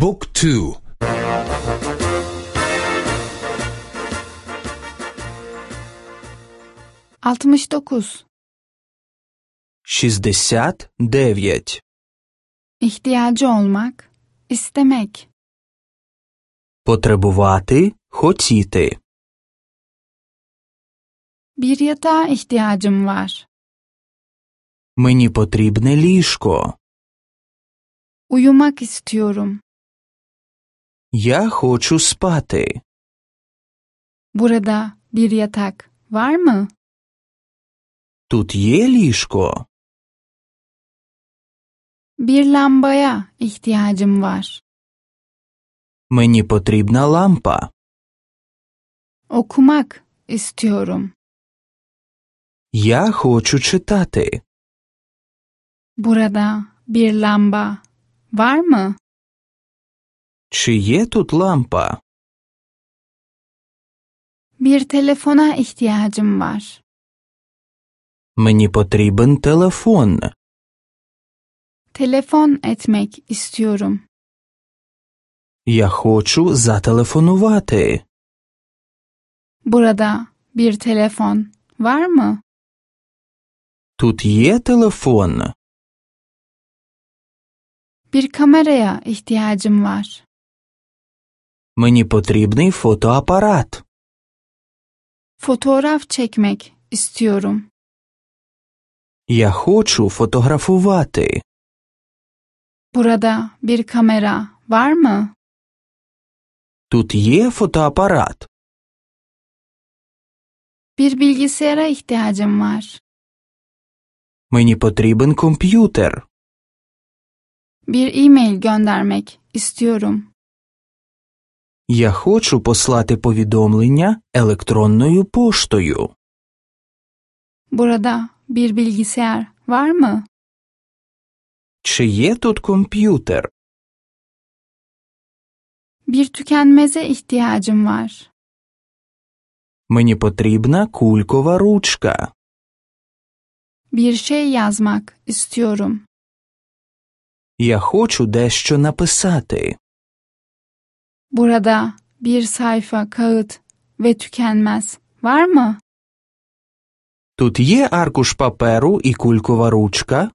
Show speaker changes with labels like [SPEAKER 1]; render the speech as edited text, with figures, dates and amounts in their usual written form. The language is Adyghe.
[SPEAKER 1] บุ๊กทู
[SPEAKER 2] 69.
[SPEAKER 3] 69.
[SPEAKER 2] İhtiyacı olmak, istemek.
[SPEAKER 3] Потребувати, хотіти.
[SPEAKER 2] Bir yatağa ihtiyacım var.
[SPEAKER 3] Мені потрібне ліжко.
[SPEAKER 2] Uyumak istiyorum.
[SPEAKER 3] Я хочу спати.
[SPEAKER 2] Burada bir yatak var mı?
[SPEAKER 3] Тут є ліжко?
[SPEAKER 2] Bir lambaya ihtiyacım var.
[SPEAKER 3] Мені потрібна лампа.
[SPEAKER 2] Okumak istiyorum.
[SPEAKER 3] Я хочу читати.
[SPEAKER 2] Burada bir lamba var mı?
[SPEAKER 3] Чи є тут лампа?
[SPEAKER 2] Bir telefona ihtiyacım var.
[SPEAKER 3] Мені потрібен телефон.
[SPEAKER 2] Telefon etmek istiyorum.
[SPEAKER 3] Я хочу зателефонувати.
[SPEAKER 2] Burada bir telefon var mı?
[SPEAKER 3] Тут є телефон.
[SPEAKER 2] Bir kameraya ihtiyacım var.
[SPEAKER 3] Мені потрібний фотоапарат.
[SPEAKER 2] Fotoğraf çekmek istiyorum.
[SPEAKER 3] Я хочу фотографувати.
[SPEAKER 2] Burada bir kamera var mı?
[SPEAKER 3] Тут є фотоапарат.
[SPEAKER 2] Bir bilgisayara ihtiyacım var.
[SPEAKER 3] Мені потрібен комп'ютер.
[SPEAKER 2] Bir e-mail göndermek istiyorum.
[SPEAKER 3] Я хочу послати повідомлення електронною поштою.
[SPEAKER 2] Burada bir bilgisayar var mı?
[SPEAKER 3] Чи є тут комп'ютер?
[SPEAKER 2] Bir tükenmeze ihtiyacım var.
[SPEAKER 3] Мені потрібна кулькова ручка.
[SPEAKER 2] Bir şey yazmak istiyorum.
[SPEAKER 3] Я хочу дещо написати.
[SPEAKER 2] Burada bir sayfa kağıt ve tükenmez var mı?
[SPEAKER 3] Тут є аркуш паперу і кулькова ручка?